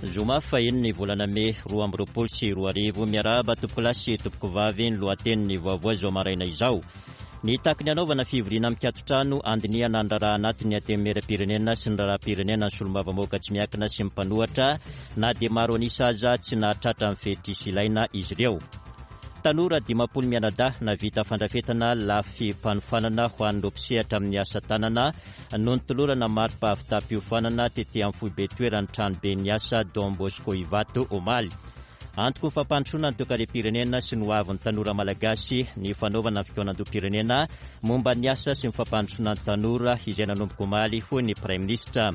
Zoma faheniny volana mey 2022. Miarahaba tompokolahy sy tompokovavy ny lohatenin'ny vaovao izao maraina izao. Nitaky ny hanaovana fivoriana mikaton-trano handinihana ny raharaha anatin'ny Antenimierampirenena sy ny raharaham-pirenena ny solombavambahoaka tsy miankina sy ny mpanohatra na dia maro an'isa aza tsy nahatratra ny fetr'isa ilaina izy ireo. Tanora 50 mianadahy nahavita fandrafetana lafim-panofanana ho an'ireo mpisehatra amin'ny asa tanana no notolorana mari-pahavitam-piofanana tety amin'ny foibe toeran'ny tranoben'ny asa Don Bosco Ivato omaly. Antoky ny fampandrosoana ny toekarem-pirenena sy ny hoavin'ny tanora malagasy ny fanaovana ny fikaonandoham-pirenena momba ny asa sy ny fampandrosoana ny tanora izay nanomboka omaly, hoy ny Praiminisitra.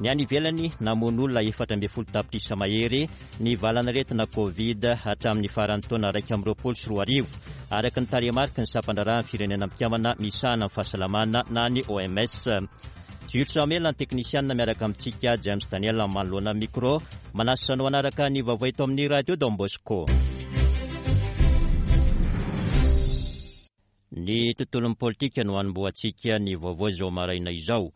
Ny any ivelany, namono olona 14 tapitrisa mahery ny valanaretina Covid hatramin'ny faran'ny taona 2021, araka ny tarehimariky ny sampandraharahan'ny Firenena Mikambana misahana ny fahasalamana na ny OMS. Jules Samuel ny teknisianina miaraka amintsika James Daniel manoloana ny micro. Manasa anao hanaraka ny vaovao eto amin'ny Radio Don Bosco. Ny tontolon'ny politika no hanombohantsika ny vaovao izao maraina izao.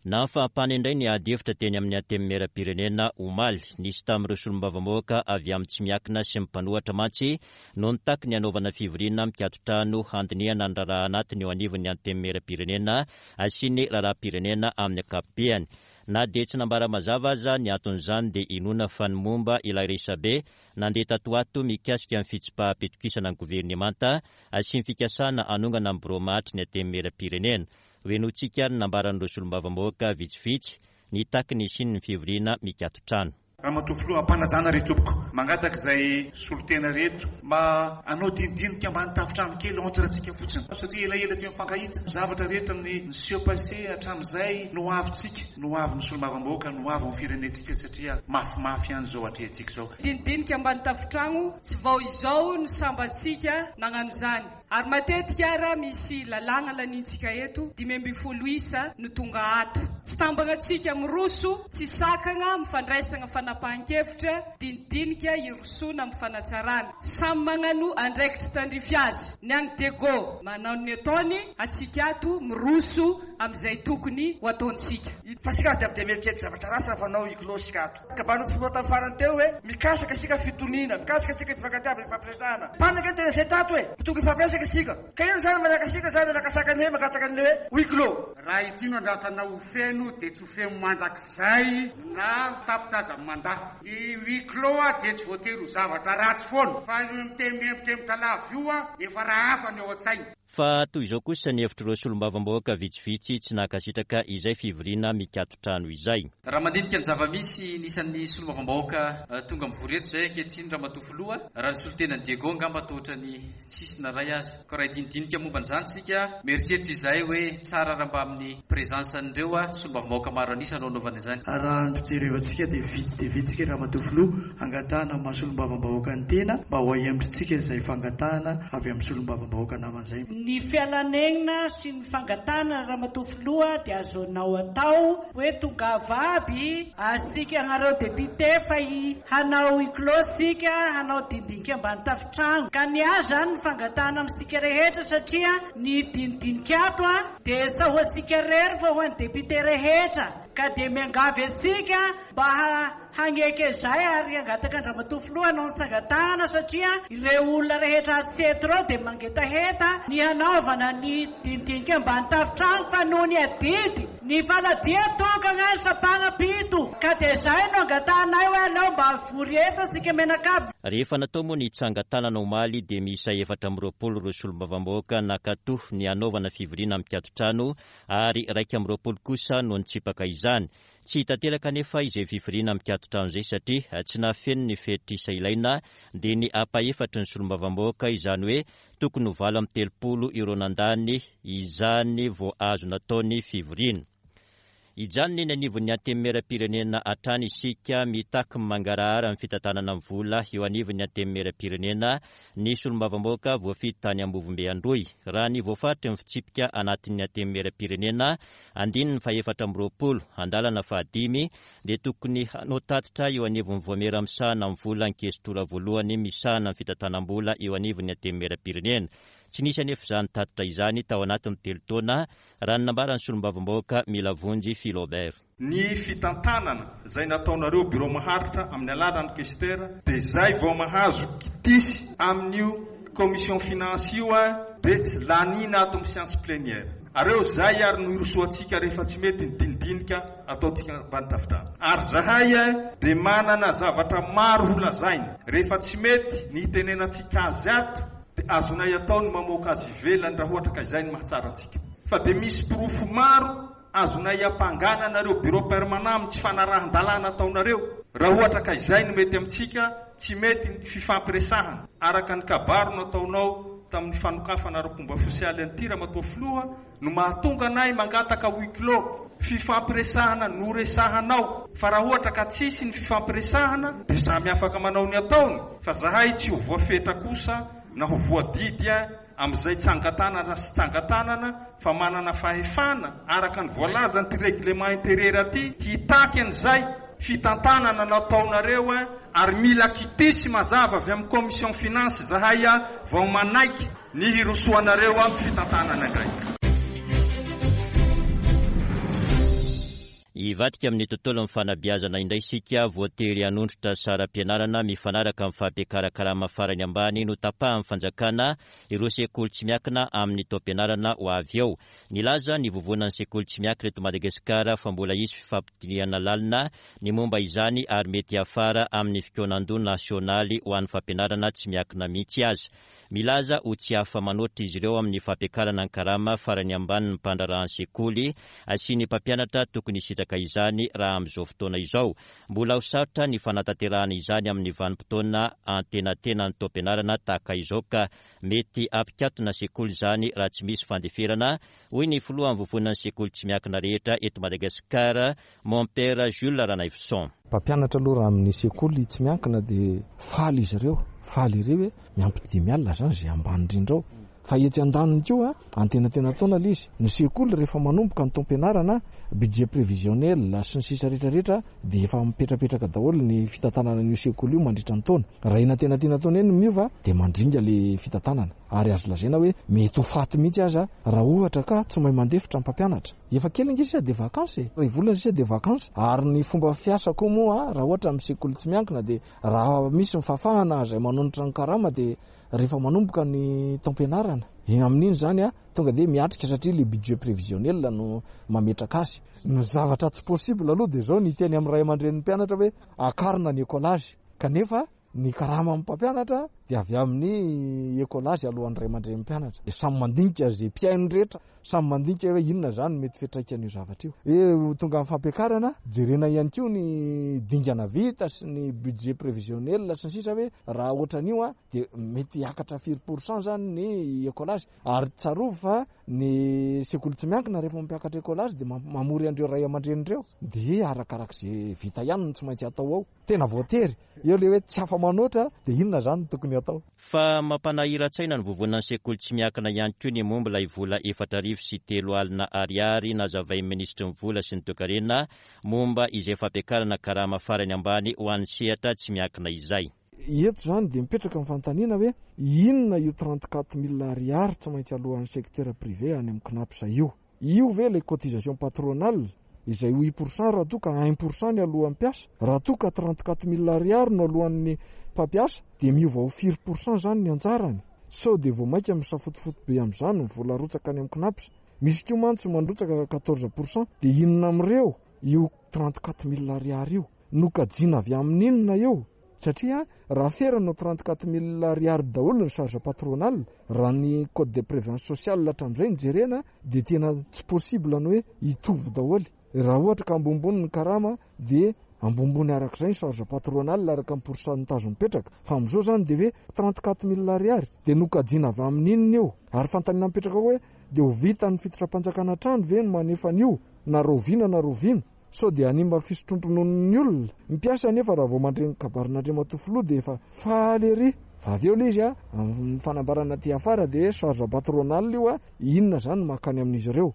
Nahafaha-pana indray ny ady hevitra teny amin'ny Antenimierampirenena omaly. Nisy tamin'ireo solombavambahoaka avy amin'ny tsy miankina sy ny mpanohatra mantsy no nitaky ny hanaovana fivoriana mikaton-trano handinihana ny raharaha anatiny eo anivon'ny Antenimierampirenena sy ny raharaham-pirenena amin'ny ankapobeny. Na dia tsy nambara mazava aza ny anton'izany dia inoana fa ny momba ilay resabe nandeha tato ho ato mikasika ny fitsipaham-pitokisana ny governemanta sy ny fikasana hanongana ny birao mahatry ny Antenimierampirenena. Henointsika ary ny nambaran'ireo solombavambahoaka vitsivitsy nitaky ny hisian'ny fivoriana mikaton-trano. Ramatoa Filoha, am-panajana re tompoko, mangataka izay solontena reto mba hanao dinidinika ambany tafontrano kely entre antsika fotsiny satria elaela tsy mifankahita, zavatra rehetra ny niseho passé hatramin'izay no ho avintsika, no ho avin'ny solombavambahoaka, no ho avin'ny firenentsika satria mafimafy ihany izao atrehintsika izao. Dinidinika ambany tafontragno, tsy vao izao no sambantsika nagnano izany. Ary matetika ara misy lalàgna laniantsika eto, 15 isa no tonga ato. Tsy tambagna-tsika miroso, tsy sakagna amin'ny fandraisagna fanapahan-kevitra, dinidinika hirosoana amin'ny fanatsarana. Samy magnano andraikitry tandrify azy. Ny agny Diego manao ny ataony, antsika ato miroso amin'izay tokony ho ataontsika. Fa isika aza dia mieritreritra zavatra ratsy raha fanao huis-clos isika ato. Kabarin'ny filoha tamin'ny farany teo hoe mikasaka isika fitoniana, mikasaka isika fifankatiavana, fifampiresahana. Mpanaka ny tena izay tato e! Tokony hifampiresaka isika. Ka inona izany manakasika izany anakasaka ny hoe mangataka an'ilay hoe huis clos. Raha ity no andrasana ho feno dia tsy ho feno mandrakizay na tapitra aza ny mandat. Ny huis clos dia tsy voatery ho zavatra ratsy foana fa io miteny miembotrembotra lava io efa raha hafa ny ao an-tsaina. Fa toy izao kosa ny hevitr'ireo solombavambahoaka vitsivitsy tsy nankasitraka izay fivoriana mikaton-trano izay. Raha mandinika ny zava-misy ny isan'ny solombavambahoaka tonga mivory eto izay ankehitriny Ramatoa Filoha, raha ny solontenan'i Diego angamba toa ohatran'ny tsisy na iray aza. Koa raha hidinidinika momba an'izany isika, mieritreritra izahay hoe tsara raha mba amin'ny présence an'ireo solombavambahoaka maro an'isa no anaovana izany. Raha ny fijerevantsika dia vitsy dia vitsy isika Ramatoa Filoha, angatahana amin'ny maha solombavambahoaka ny tena mba ho ahemotritsika izay fangatahana avy amin'ny solombavambahoaka namana izay. Ny fialanenina sy ny fangatahana Ramatoa Filoha dia azonao atao hoe tongava aby asika anareo député fa hanao huis clos sika hanao dinidinika ambany tafontrano ka ny ahy zany ny fangatahana amintsika rehetra satria ny dinidinika ato a dia sa ho asika rery fa ho an'ny député rehetra ka dia miangavy asika mba Hagneke izay ary hangataka an-dRamatoa Filoha hanao ny sangatahana satria ireo olona rehetra aseto ireo dia mangetaheta ny hanaovana ny dinidinika ambany tafontrano fa noho ny adidy ny faladia tokana ny sampagna-pito ka dia izay no angatahanay hoe aleo mba hivory eto isika mianakavy. Rehefa natao moa ny tsangan-tanana omaly dia miisa 24 ireo solombavambahoaka nankatò ny hanaovana fivoriana mikaton-trano ary 21 kosa no nitsipaka izany. Tsy tanteraka anefa izay fivoriana mikaton-trano izay satria tsy nahafeno ny fetr'isa ilaina dia ny ampahefatry ny solombavambahoaka, izany hoe tokony ho 38 ireo nandany izany vao azo natao ny fivoriana. Hijanona eny anivon'ny Antenimierampirenena hatrany isika mitaky ny mangarahara ny fitantanana ny vola eo anivon'ny Antenimierampirenena ny solombavambahoaka voafidy tany Ambovombe Androy. Raha ny voafaritry ny fitsipika anatin'ny Antenimierampirenena Andininy faha-24, andalana fahadimy, dia tokony hanao tatitra eo anivon'ny Vaomiera misahana ny vola ny Kestora voalohany misahana ny fitantanam-bola eo anivon'ny Antenimierampirenena. Tsy nisy anefa izany tatitra izany tao anatin'ny telo taona, raha ny nambaran'ny solombavambahoaka Milavonjy Philobert. Ny fitantanana izay nataonareo Birao Maharitra amin'ny alalan'ny Questeur dia izay vao mahazo kitisy amin'io Commission Finance io dia laniana ato amin'ny séance plénière. Areo izay ary no hirosoantsika rehefa tsy mety ny dinidinika ataontsika ambany tafidrano. Ary zahay dia manana zavatra maro ho lazaina. Rehefa tsy mety ny hitenenantsika azy ato dia azonay atao ny mamoaka azy ivelany raha ohatra ka izay no mahatsara antsika. Fa dia misy porofo maro azonay iampangana anareo bureau permanent amin'ny tsy fanarahan-dalàna ataonareo. Raha ohatra ka izay no mety amintsika, tsy mety ny fifampiresahana. Araka ny kabary nataonao tamin'ny fanokafana ara-pomba ofisialy an'ity Ramatoa Filoha no mahatonga anay mangataka huis clos, fifampiresahana noresahanao. Fa raha ohatra ka tsisy ny fifampiresahana dia samy afaka manao ny ataony fa zahay tsy ho voafetra kosa na ho voadidy amin'izay tsangan-tanana sy tsangan-tanana fa manana fahefana araka ny voalazan'ity règlement intérieur ity hitaky an'izay fitantanana nataonareo ary mila kitisy mazava avy amin'ny commission finance zahay vao manaiky ny hirosoanareo amin'ny fitantanana indray. Hivadika amin'ny tontolon'ny fanabeazana indray isika, voatery hanondrotra saram-pianarana mifanaraka amin'ny fampiakaran-karama farany ambany notapahan'ny fanjakana ireo sekoly tsy miankina amin'ny taom-pianarana ho avy eo. Nilaza ny Vovonan'ny sekoly tsy miankina eto Madagasikara fa mbola hisy fifampidinihana lalina ny momba izany ary mety hiafara amin'ny fikaonandoha nasionaly ho an'ny fampianarana tsy miankina mihitsy aza. Milaza ho tsy afa-manoatra izy ireo amin'ny fampiakarana ny karama farany ambanin'ny mpandraharahan'ny sekoly sy ny mpampianatra tokony hisitraka izany raha amin'izao fotoana izao. Mbola ho sarotra ny fanatanterahana izany amin'ny vanim-potoana antenatenan'ny taom-pianarana tahaka izao ka mety hampikatona sekoly izany raha tsy misy fandeferana, hoy ny filohan'ny vovonan'ny sekoly tsy miankina rehetra eto Madagasikara, Mompera Jules Ranaivoson. Mpampianatra aloha raha amin'ny sekoly tsy miankina dia faly izy ireo, faly ery hoe miampy 5 alina izany izay ambany indrindra ao. Fa etsy andaniny koa, antenatenan-taona ilay izy. Ny sekoly rehefa manomboka ny taom-pianarana, budget prévisionnel sy ny sisa rehetra rehetra dia efa mipetrapetraka daholo ny fitantanana an'io sekoly io mandritra ny taona. Raha eny antenatenan-taona eny no miova dia mandringa ilay fitantanana. Ary azo lazaina hoe mety ho faty mihitsy aza raha ohatra ka tsy mahay mandefitra ny mpampianatra. Efa kely ange sisa dia vacances e! Iray volana sisa dia vacances. Ary ny fomba fiasa koa moa raha ohatra amin'ny sekoly tsy miankina dia raha misy ny fahafahana izay manonitra ny karama dia rehefa manomboka ny taom-pianarana. Amin'iny izany tonga dia miatrika satria ilay budget prévisionnel no mametraka azy. Ny zavatra tsy possible aloha dia izao ny hiteny amin'ny ray aman-drenin'ny mpianatra hoe akarina ny écolage kanefa ny karaman'ny mpampianatra dia avy amin'ny écolage alohan'ny ray aman-drenin'ny mpianatra. Dia samy mandinika izay mpihaino rehetra, samy mandinika hoe inona izany no mety fiantraikan'io zavatra io. Hoe ho tonga amin'ny fampiakarana, jerena ihany koa ny dingana vita sy ny budget prévisionnel sy ny sisa hoe raha ohatran'io dia mety hiakatra firy pour cent izany ny écolage. Ary tsarovy fa ny sekoly tsy miankina rehefa mampiakatra écolage dia mamory an'ireo ray aman-dreny ireo. Dia arakarak'izay vita ihany no tsy maintsy atao ao. Tena voatery. Eo ilay hoe tsy afa-manoatra dia inona izany no tokony hatao? Fa mampanahiran-tsaina ny vovonan'ny sekoly tsy miankina ihany koa ny momba ilay vola 4004 ariary nazavain'ny minisitry ny vola sy ny toekarena momba izay fampiakarana karama farany ambany ho an'ny sehatra tsy miankina izay. Eto izany dia mipetraka ny fanontaniana hoe inona io 34 mille ariary tsy maintsy aloan'ny secteur privé any amin'ny Cnaps io? Io ve ilay cotisation patronale izay huit pour cent raha toa ka un pour cent ny aloan'ny mpiasa? Raha toa ka 34 mille ariary no aloan'ny mpampiasa dia miova ho firy pour cent izany ny anjarany? Sao dia vao mainka misafotofoto be amin'izany ny vola arotsaka any amin'ny Cnaps? Misy koa mantsy mandrotsaka 14 pour cent dia inona amin'ireo io 34 mille ariary io? Nokajiana avy amin'inona io? Satria raha ferana ho 34 mille ariary daholo ny charge patronale, raha ny code de prévision sociale hatramin'izay no jerena dia tena tsy possible ny hoe hitovy daholo. Raha ohatra ka ambonimbony ny karama dia ambonimbony arak'izay ny charge patronale araka ny pourcentage mipetraka. Fa amin'izao izany dia hoe 34 mille ariary dia nokajiana avy amin'inona io? Ary fanontaniana mipetraka koa hoe dia ho vitan'ny fitondram-panjakana hatrany ve ny manefa an'io na rahoviana na rahoviana? Sao dia hanimba fisotroan-drononon'ny olona? Ny mpiasa anefa raha vao mandre ny kabarin'Andriamatoa Filoha dia efa faly ery. Fa avy eo ilay izy amin'ny fanambarana aty afara dia hoe charge patronale io, inona izany no mankany amin'izy ireo?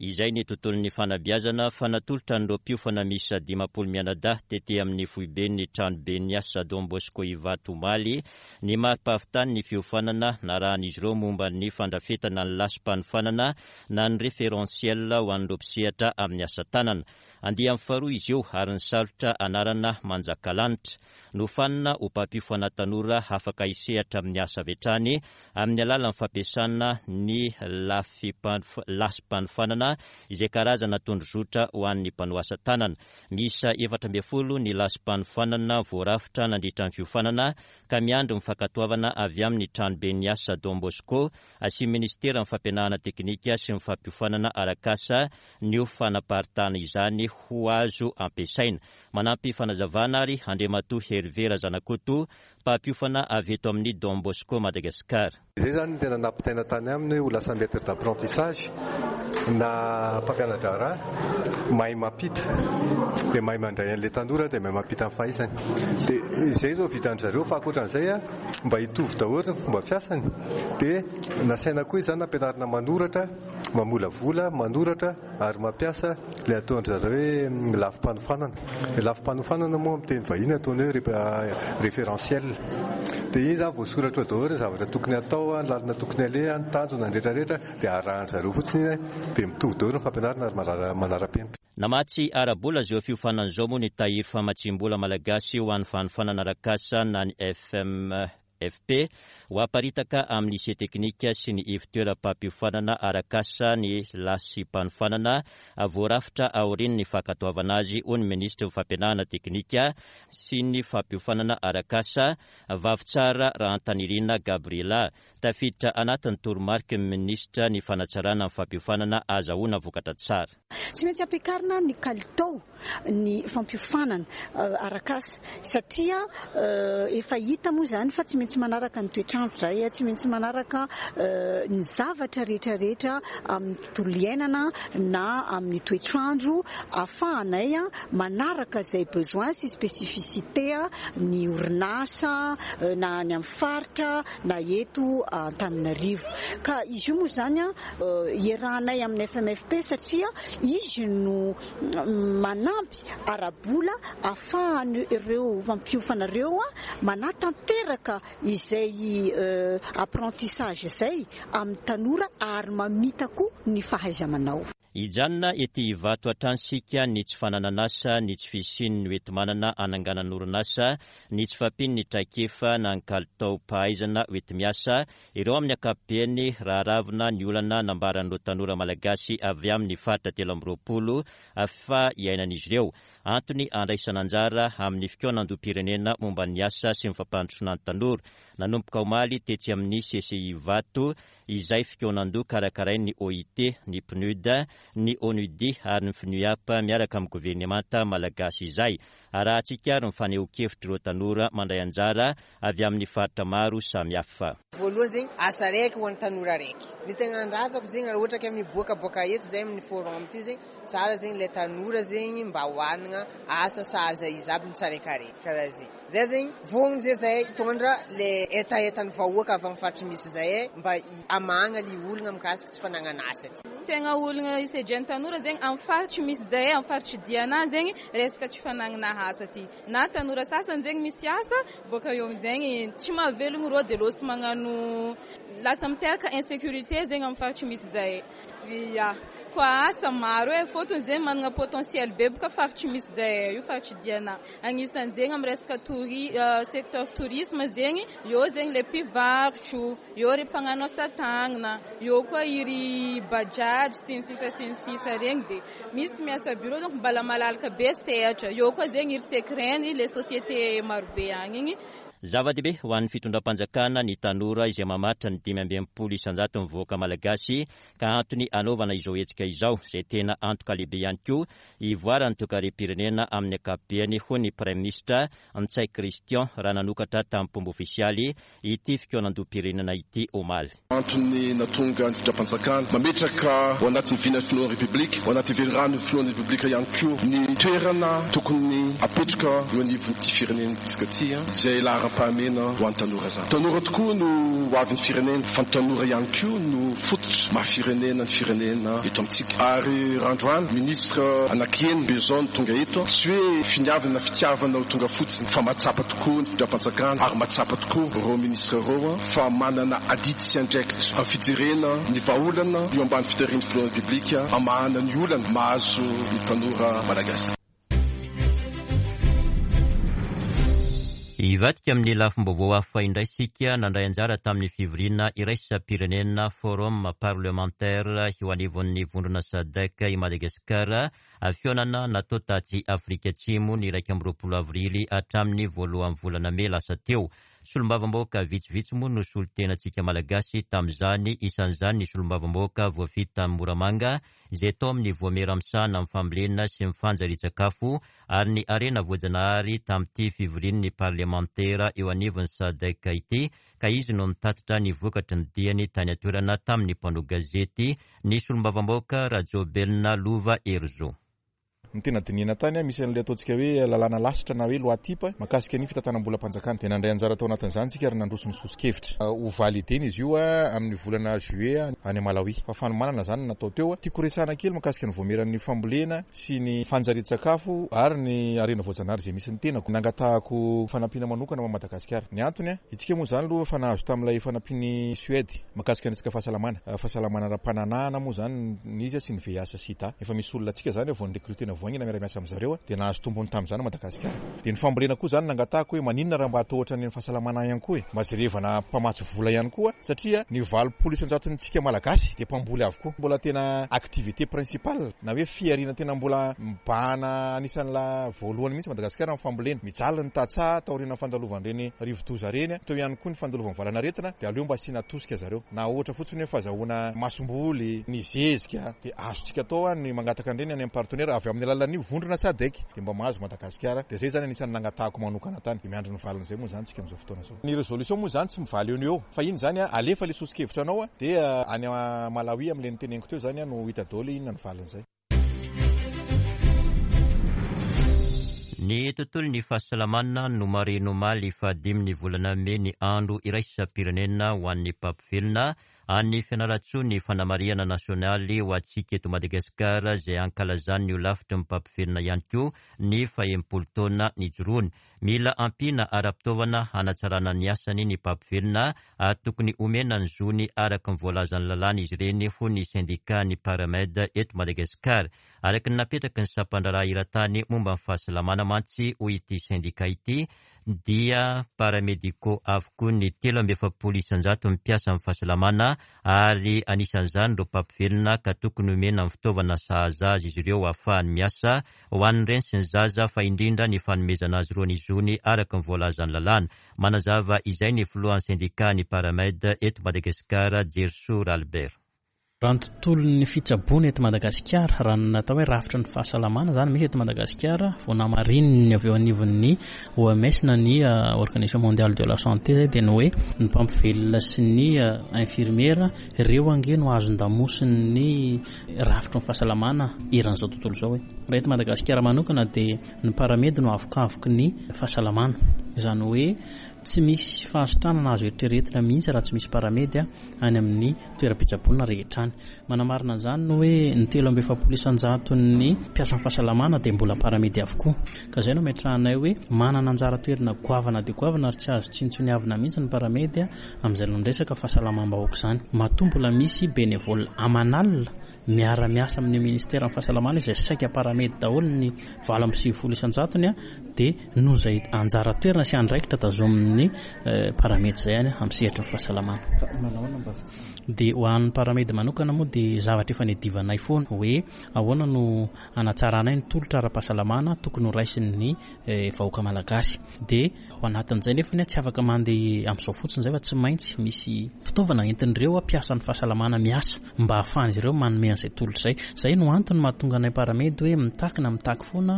Izay ny tontolon'ny fanabeazana fa natolotra an'ireo mpiofana miisa 50 mianadahy tety amin'ny foiben'ny tranoben'ny asa Don Bosco Ivato omaly ny mari-pahavitan'ny fiofanana narahan'izy ireo momba ny fandrafetana ny lasi-panofanana na ny référentiel ho an'ireo mpisehatra amin'ny asa tanana. Andiany faharoa izy io ary nisalotra anarana Manjakalanitra. Nofanina ho mpampiofana tanora afaka hisehatra amin'ny asa avy hatrany amin'ny alalan'ny fampiasana ny lasi-panofanana izay karazana tondrozotra ho an'ny mpanao asa tanana. Miisa 14 ny lasi-panofanana voarafitra nandritra ny fiofanana ka miandry ny fankatoavana avy amin'ny tranoben'ny asa Don Bosco sy ny minisiteran'ny fampianarana teknika sy ny fampiofanana arak'asa ny ho fanaparitahana izany ho azo ampiasaina. Manampy fanazavana ary Andriamatoa Hervé Razanakoto, mpampiofana avy eto amin'ny Don Bosco Madagascar. Izay izany no tena nampitaina tany aminy hoe ho lasa maître d'apprentissage na mpampiana-draharaha mahay mampita dia mahay mandray an'ilay tanora dia mahay mampita ny fahaizany. Dia izay izao vitan-dry zareo fa ankoatran'izay mba hitovy daholo ny fomba fiasany dia nasaina koa izany nampianarina manoratra, mamolavola, manoratra ary mampiasa ilay ataon-dry zareo hoe lafim-panofanana. Ilay lafim-panofanana moa amin'ny teny vahiny ataony hoe référentiel. Dia iny izany voasoratra ao daholo ny zavatra tokony hatao, ny lalana tokony aleha, ny tanjona, ny rehetra rehetra dia arahan-dry zareo fotsiny iny dia mitovy daholo ny fampianarana ary manara-penitra. Namatsy ara-bola izao fiofanana izao moa ny tahiry famatsiam-bola malagasy ho an'ny fanofanana arak'asa na ny FM. FP, Ho aparitaka amin'ny lycée teknika sy ny ivontoeram-pampiofanana arak'asa ny lasimpanofanana voarafitra aorian'ny fankatoavana azy, hoy ny minisitry ny Fampianarana teknika sy ny fampiofanana arak'asa, Vavitsara Rahantanirina Gabriela. Tafiditra anatin'ny toromariky ny minisitra ny fanatsarana ny fampiofanana ahazahoana vokatra tsara. Tsy maintsy ampiakarina ny kalitao ny fampiofanana arak'asa satria efa hita moa izany fa tsy maintsy manaraka ny toetr'andro izahay, tsy maintsy manaraka ny zavatra rehetra rehetra amin'ny tontolo iainana na amin'ny toetr'andro ahafahanay manaraka izay besoin sy spécificité ny orinasa na any amin'ny faritra na eto Antananarivo. Ka izy io moa izany iarahanay amin'ny FMFP satria izy no manampy ara-bola ahafahan'ireo mpampiofana ireo manatanteraka izay apprentissage izay amin'ny tanora ary mamita koa ny fahaiza-manao. Hijanona ety Ivato hatrany isika ny tsy fananan'asa, ny tsy fisian'ny hoenti-manana hananganan'orinasa, ny tsy fahampian'ny traikefa na ny kalitaom-pahaizana hoenti-miasa, ireo amin'ny ankapobeny raha aravona ny olana nambaran'ireo tanora malagasy avy amin'ny faritra 23 fa iainan'izy ireo. Antony handraisana anjara amin'ny fikaonandoham-pirenena momba ny asa sy ny fampandrosoana ny tanora nanomboka omaly tetsy amin'ny CCI Ivato izay fikaonandoha karakarain'ny OIT, ny PNUD, ny ONUDI ary ny FNUAP miaraka amin'ny governemanta malagasy izay. Arahantsika ary ny fanehoan-kevitr'ireo tanora mandray anjara avy amin'ny faritra maro samihafa. Voalohany zegny asa raiky ho an'ny tanora raiky. Ny tegna andrasako zegny raha ohatra ka miboaka boaka eto zay amin'ny forum ty zegny, tsara zegny le tanora zegny mba hoanagna asa sahaza izy aby ny tsaraikaraiky karaha zegny. Zay zegny vonogno zay zahay hitondra le hetahetan'ny vahoaka avy amin'ny faritry misy zahay mba hamahagna le olagna mikasika tsy fanagnana asa ty. Tegna olagna isedrain'ny tanora zegny amin'ny faritry misy zahay, amin'ny faritry Diana zegny resaka tsy fanagnana asa ty. Na tanora sasany zegny misy asa, boaka eo amizegny tsy mahavelogno rô de lôso magnano lasa miteraka insécurité zegny amin'ny faritry misy zahay. Ya, koa asa maro e, fôtony zegny managna potentiel be boka faritry misy zahay io, faritry Diana. Agnisan'ny zegny amin'ny resaka touri, secteur tourisme zegny, eo zegny le mpivarotro, eo ry mpagnano asa tagnana, eo koa iry bajaj sy ny sisa sy ny sisa regny de misy miasa bureau donc mbala malalaka be sehatra, eo koa zegny iry secren le société marobe agny igny. Zava-dehibe ho an'ny fitondram-panjakana ny tanora izay mamaritra ny 65 isan-jaton'ny vahoaka malagasy ka antony hanaovana izao hetsika izao izay tena antoka lehibe ihany koa hivoaran'ny toekarem-pirenena amin'ny ankapobeny hoy ny Praiminisitra Ntsay Christian raha nanokatra tamim-pomba ofisialy ity fikaonandoham-pirenena ity omaly. Antony nahatonga ny fitondram-panjakana mametraka ao anatin'ny vinan'ny filohan'ny Repoblika, ao anatin'ny veliranon'ny filohan'ny Repoblika ihany koa ny toerana tokony hapetraka eo anivon'ity firenentsika ity izay laharam-pahamehana. laharam-pahamehana ho an'ny tanora izany. Tanora tokoa no ho avin'ny firenena fa ny tanora ihany koa no fototra maha firenena ny firenena eto amintsika. Ary raha androany ministre anaky enina be izao no tonga eto, tsy hoe finiavana na fitiavana ho tonga fotsiny fa mahatsapa tokoa ny fitondram-panjakana ary mahatsapa tokoa ireo ministre ireo fa manana adidy sy andraikitra amin'ny fijerena ny vahaolana eo ambany fitarihan'ny filohan'ny Repoblika hamahana ny olana mahazo ny tanora malagasy. Hivadika amin'ny lafim-baovao hafa indray isika, nandray anjara tamin'ny fivoriana iraisam-pirenena Forum parlementaire eo anivon'ny vondrona Sadc i Madagasikara, fihaonana natao tatsy Afrika Atsimo ny 21 avrily hatramin'ny voalohan'ny volana mey lasa teo. Solombavambahoaka vitsivitsy moa no solontenantsika Malagasy tamin'izany, isan'izany ny solombavambahoaka voafidy tany Moramanga izay tao amin'ny Voamera misahana ny fambolena sy ny fanjarian-tsakafo ary ny harena voajanahary tamin'ity fivorian'ny parlemantera eo anivon'ny Sadc ity ka izy no nitatitra ny vokatry ny diany tany an-toerana tamin'ny mpanao gazety ny solombavambahoaka Rajaobelina Lova Herizo. Ny tena dinihina tany, misy an'ilay ataontsika hoe lalàna lasitra na hoe loi type mahakasika ny fitantanam-bolam-panjakana. Dia nandray anjara tao anatin'izany isika ary nandroso ny soso-kevitra. Ho valider-na izy io amin'ny volana juillet any Malawi. Fa fanomanana izany no natao teo. Tiako horesahana kely mahakasika ny vaomieran'ny fambolena sy ny fanjarian-tsakafo ary ny harena voajanahary izay misy ny tenako. Nangatahako fanampiana manokana ho an'i Madagasikara. Ny antony, isika moa izany aloha efa nahazo tamin'ilay fanampian'i Suède mahakasika ny resaka fahasalamana. Fahasalamana ara-pananahana moa izany ny izy sy ny VIH sida. Efa misy olona antsika zany vao ni-recruter-na vao haingana miara-miasa amin'zareo dia nahazo tombony tamin'izany Madagasikara. Dia ny fambolena koa zany nangatahako hoe maninona raha mba atao ohatran'ny fahasalamana ihany koa e. Mba jerevana mpamatsy vola ihany koa satria ny 80 isan-jatontsika Malagasy dia mpamboly avokoa. Mbola tena activité principale na hoe fihariana tena mbola mibahana anisan'ny la voalohany mihitsy Madagasikara ny fambolena. Mijaly ny tantsaha taorian'ny fandalovan'ireny rivodoza ireny, teo ihany koa ny fandalovan'ny valan'aretina dia aleo mba asiana tosika zareo. Na ohatra fotsiny hoe fazahoana masomboly, ny zezika dia azontsika atao ny mangataka an'ireny any amin'ny partenaire avy amin'ny alalan'ny vondrona Sadec dia mba mahazo Madagasikara dia izay izany anisan'ny nangatahako manokana tany dia miandry ny valin'izay moa izany tsika amin'izao fotoana izao. Ny resolution moa izany tsy mivaly eo no eo fa iny izany alefa ilay soso-kevitra anao dia any Malawi amin'ilay noteneniko teo izany no hita daholo hoe inona ny valin'izay. Ny tontolon'ny fahasalamana no marihina omaly fahadimy ny volana mey ny andro iraisam-pirenena ho an'ny mpampivelona any Fianarantsoa ny fanamarihana nasionaly ho antsika eto Madagasikara izay ankalazan'ny holafitry ny mpampivelona ihany koa ny fahenimpolo taona nijoroany. Mila ampiana ara-pitaovana hanatsarana ny asany ny mpampivelona ary tokony homena ny zony araka ny voalazan'ny lalàna izy ireny hoy ny sendikan'ny Paramed eto Madagasikara. Araka ny napetraky ny sampandraharaha eran-tany momba ny fahasalamana mantsy hoy ity sendika ity dia paramédicaux avokoa ny 43 isan-jaton'ny mpiasan'ny fahasalamana ary anisan'izany ireo mpampivelona ka tokony homena ny fitaovana sahaza azy izy ireo hahafahany miasa ho an'ny reny sy ny zaza fa indrindra ny fanomezana azy ireo ny zony araka ny voalazan'ny lalàna. Manazava izay ny filohan'ny sendikan'ny Paramed eto Madagasikara, Jerisoa Ralibert. Raha ny tontolon'ny fitsaboana eto Madagasikara, raha ny natao hoe rafitry ny fahasalamana izany misy eto Madagasikara, vao namarininy avy eo anivon'ny OMS na ny Organisation Mondiale de la Santé izay dia ny hoe ny mpampivelona sy ny infirmiera, ireo ange no hazon-damosin'ny rafitry ny fahasalamana eran'izao tontolo izao e. Raha eto Madagasikara manokana dia ny paramedy no avokavoky ny fahasalamana. Izany hoe tsy misy fahasitranana azo eritreretina mihitsy raha tsy misy paramedy any amin'ny toeram-pitsaboana rehetra any. Manamarina an'izany ny hoe ny 43 isan-jaton'ny mpiasan'ny fahasalamana dia mbola paramedy avokoa. Ka izay no ametrahanay hoe manana anjara toerana goavana dia goavana ary tsy azo tsinontsiniavina mihitsy ny paramedy amin'izay resaka fahasalamam-bahoaka izany. Matoa mbola misy bénévole aman'alina miara-miasa amin'ny ministeran'ny fahasalamana izay saika paramedy daholo ny 98 isan-jatony dia noho izay anjara toerana sy andraikitra tazomin'ny paramedy izay any amin'ny sehatry ny fahasalamana. Fa manao ahoana mba fitsarana? Dia ho an'ny paramedy manokana moa dia zavatra efa niadivanay foana hoe ahoana no hanatsaranay ny tolotra ara-pahasalamana tokony ho raisin'ny vahoaka malagasy. Dia Ao anatin'izay nefa tsy afaka mandeha amin'izao fotsiny izay fa tsy maintsy misy fitaovana entin'ireo mpiasan'ny fahasalamana miasa mba hahafahan'izy ireo manome an'izay tolotra izay. Izay no antony mahatonga anay Paramedy hoe mitaky na mitaky foana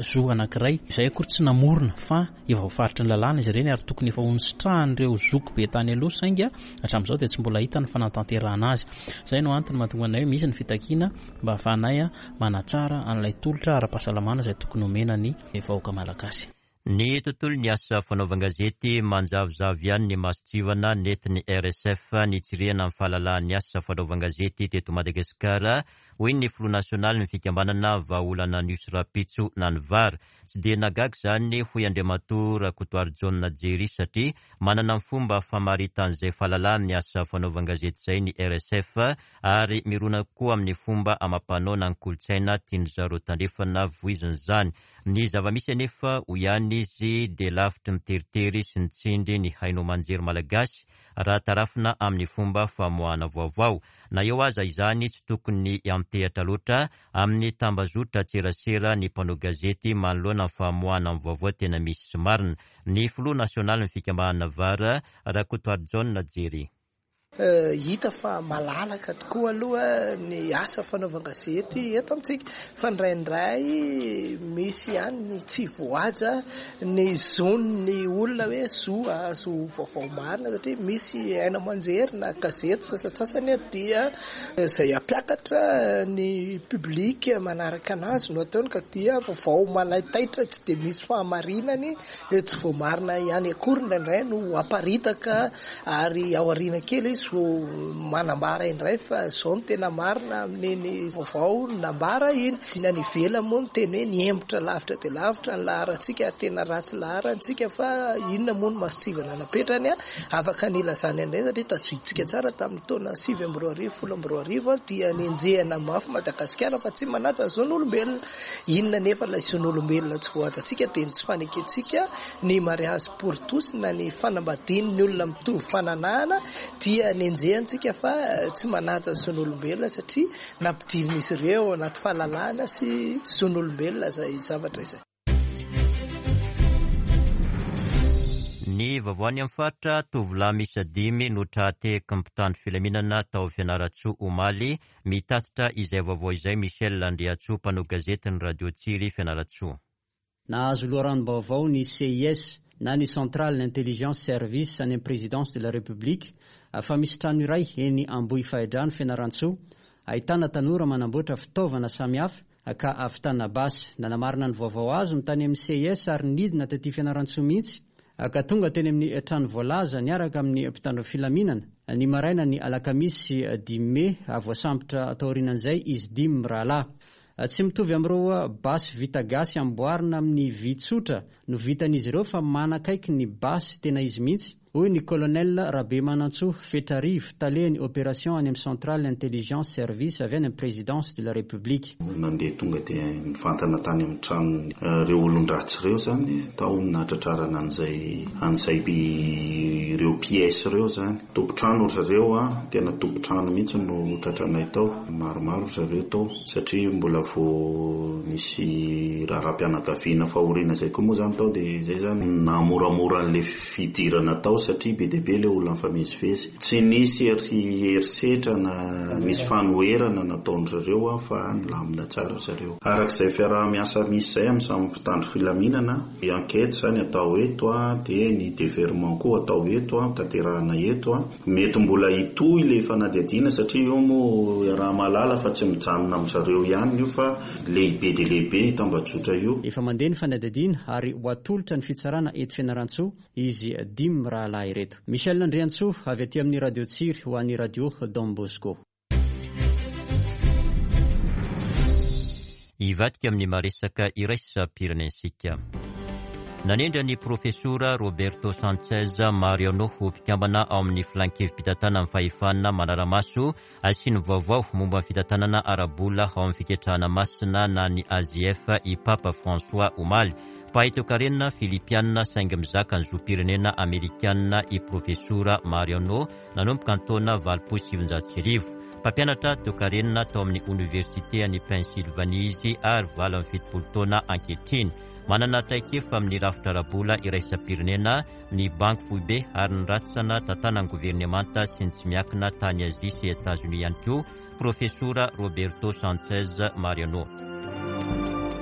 zo anankiray. Izay akory tsy namorona fa efa voafaritry ny lalàna izy ireny ary tokony efa ho nisitrahan'ireo zoky be tany aloha saingy hatramin'izao dia tsy mbola hita ny fanatanterahana azy. Izay no antony mahatonga anay hoe misy ny fitakiana mba hahafahanay manatsara an'ilay tolotra ara-pahasalamana izay tokony homena ny vahoaka malagasy. Ny tontolon'ny asa fanaovan-gazety manjavozavo ihany ny mason-tsivana nentin'ny RSF nitsirihana ny fahalalahan'ny asa fanaovan-gazety teto Madagasikara, hoy ny filoha nasionalin'ny fikambanana Vahaolana News Rapitso Nanivara. Tsy dia nahagaga izany, hoy Andriamatoa Rakotoarijaona Jerry satria manana ny fomba famaritan'izay fahalalahan'ny asa fanaovan-gazety izay ny RSF ary mirona kokoa amin'ny fomba amam-panao na ny kolontsaina tian-dry zareo tandrefana voizina izany. Ny zava-misy anefa, hoy ihany izy, dia lavitry ny teritery sy ny tsindry ny haino aman-jery malagasy raha tarafina amin'ny fomba famoahana vaovao. Na eo aza izany, tsy tokony hiantehatra loatra amin'ny tambazotran-tserasera ny mpanao gazety manoloana ny famoahana ny vaovao tena misy sy marina. Ny filoha nasionalin'ny fikambanana var, Rakotoarijaona Jerry. Hita fa malalaka tokoa aloha ny asa fanaovan-gazety eto amintsika fa indraindray misy ihany ny tsy voahaja ny zon'ny olona hoe zo hahazo vaovao marina satria misy haino aman-jery na gazety sasantsasany dia izay hampiakatra ny public manaraka anazy no ataony ka dia vaovao manaitaitra tsy dia misy fahamarinany Tsy voamarina ihany akory indraindray no aparitaka ary ao aoriana kely izy vao manambara indray fa izao no tena marina amin'iny vaovao nambara iny. Ny any ivelany moa miteny hoe nihemotra lavitra dia lavitra ny laharantsika ary tena ratsy laharana isika fa inona moa no mason-tsivana napetrany afaka nilazany an'ireny satria tadidintsika tsara tamin'ny taona 2009 2010 dia nenjehina mafy Madagasikara fa tsy manaja ny zon'olombelona. Inona anefa ilay zon'olombelona tsy voahajantsika dia ny tsy fanekentsika ny mariage pour tous na ny fanambadian'ny olona mitovy fananahana dia nenjehantsika fa tsy manaja ny zon'olombelona satria nampidirin'izy ireo ao anaty fahalalahana sy zon'olombelona izay zavatra izay. Ny vaovao any amin'ny faritra, tovolahy miisa dimy no tra-tehaky ny mpitandro filaminana tao Fianarantsoa omaly Mitatitra izay vaovao izay Michel Andriantsoa, mpanao gazetin'ny Radio Tsiry Fianarantsoa. Nahazo loharanom-baovao ny CIS na ny Central Intelligence Service any amin'ny Présidence de la République fa misy trano iray eny Ambohifahidrano Fianarantsoa ahitana tanora manamboatra fitaovana samihafa ka ahavitana basy. Nanamarina ny vaovao azo ny tany amin'ny CIS ary nidina taty Fianarantsoa mihitsy ka tonga teny amin'ny trano voalaza niaraka amin'ny mpitandro filaminana ny maraina ny alakamisy dimy mey. Voasambotra taorianan'izay izy dimy mirahalahy. Tsy mitovy amin'ireo basy vita gasy amboarina amin'ny vy tsotra no vitan'izy ireo fa manakaiky ny basy tena izy mihitsy hoy ny Colonel Rabemanantsoa Fetrarivo, talehan'ny Opération any amin'ny Centrale Intelligence Service avy any amin'ny Présidence de la République. Nandeha tonga dia nivantana tany amin'ny tranon'ireo olon-dratsy ireo izany, tao no nahatratrarana an'izay an'izay ireo pièces ireo izany. Tompon-trano ry zareo an, tena tompon-trano mihitsy no tratranay tao, maromaro ry zareo tao satria mbola vao nisy raharaham-pianakaviana fahoriana izay koa moa izany tao dia izay izany nahamoramora an'ilay fidirana tao satria be dia be ilay olona nifamezivezy. Tsy nisy herisetra na nisy fanoherana nataon-dry zareo fa nilamina tsara ry zareo. Araka izay fiaraha-miasa misy izay amin'ny samy mpitandro filaminana, ny enquête izany atao eto dia ny deferrement koa atao eto, tanterahana eto. Mety mbola hitohy ilay fanadihadiana satria io moa iaraha-mahalala fa tsy mijanona amin-dry zareo ihany io fa lehibe dia lehibe io tambajotra io. Efa mandeha ny fanadihadiana ary ho atolotra ny fitsarana eto Fianarantsoa izy dimy mirahalahy ireto. Michel Andriantsoa avy aty amin'ny Radio Tsiry ho an'ny Radio Don Bosco. Hivadika amin'ny maresaka iraisam-pirenensika. Nanendry an'ny Profesora Roberto Sanchez Mariano ho mpikambana ao amin'ny Filan-kevi-pitantanan'ny Fahefana manara-maso Asiany vaovao momba ny fitantanana ara-bola ao amin'ny Fiketrahana Masina na ny AGF i Papa François omaly. Mpahay toekarena Filipiana saingy mizaka ny zom-pirenena Amerikana i Profesora Mariano nanomboka ny taona 1980. Mpampianatra toekarena tao amin'ny Oniversite any Pennsylvanie izy ary 78 taona ankehitriny. Manana traikefa amin'ny rafitra ara-bola iraisam-pirenena ny Banky Foibe ary ny rantsana tantanan'ny governemanta sy ny tsy miankina tany Azia sy Etazonia ihany koa, Profesora Roberto Sanchez Mariano.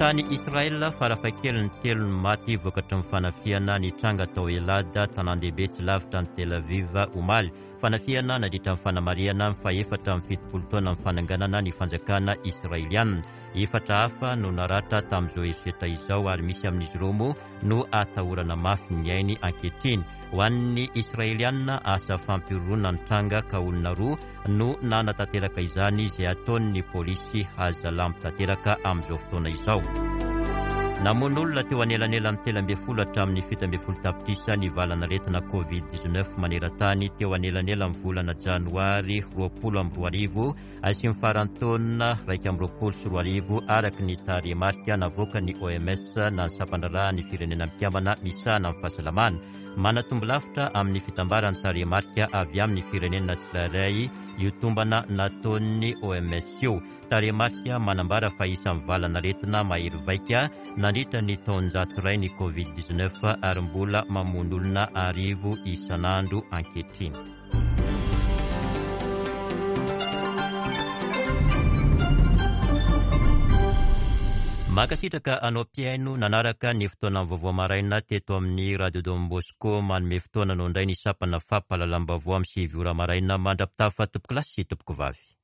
Tany Israel, farafahakeliny telo ny maty vokatry ny fanafihana nitranga tao Elad, tanàn-dehibe tsy lavitra an'i Tel Aviv, omaly. Fanafihana nandritra ny fanamarihana ny fahefatra amby 70 taonan'ny fananganana ny fanjakana Israeliana. Efatra hafa no naratra tamin'izao herisetra izao ary misy amin'izy ireo moa no atahorana mafy ny ainy ankehitriny. Ho an'ny Israelianina, asa fampihorohoroana nitranga ka olona roa no nanatanteraka izany izay ataon'ny polisy hazalambo tanteraka amin'izao fotoana izao. Namono olona teo anelanelan'ny 13 hatramin'ny 17 tapitrisa ny valanaretina Covid 19 maneran-tany teo anelanelan'ny volana janoary 2020 sy ny faran'ny taona 2021 araka ny tarehimarika navoakan'ny OMS na ny sampandraharahan'ny Firenena Mikambana misahana ny fahasalamana. Manatombo lavitra amin'ny fitambaran'ny tarehimarika avy amin'ny firenena tsirairay io tombana nataon'ny OMS io. Tarehimarika manambara fa isan'ny valan'aretina mahery vaika nandritra ny taonjato iray ny Covid 19 ary mbola mamono olona arivo isan'andro ankehitriny. Mankasitraka anao mpihaino nanaraka ny fotoanan'ny vaovao maraina teto amin'ny Radio Don Bosco. Manome fotoana anao indray ny sampana fampahalalam-baovao amin'ny 9 ora maraina mandra-pitafa tompokolahy sy tompokovavy.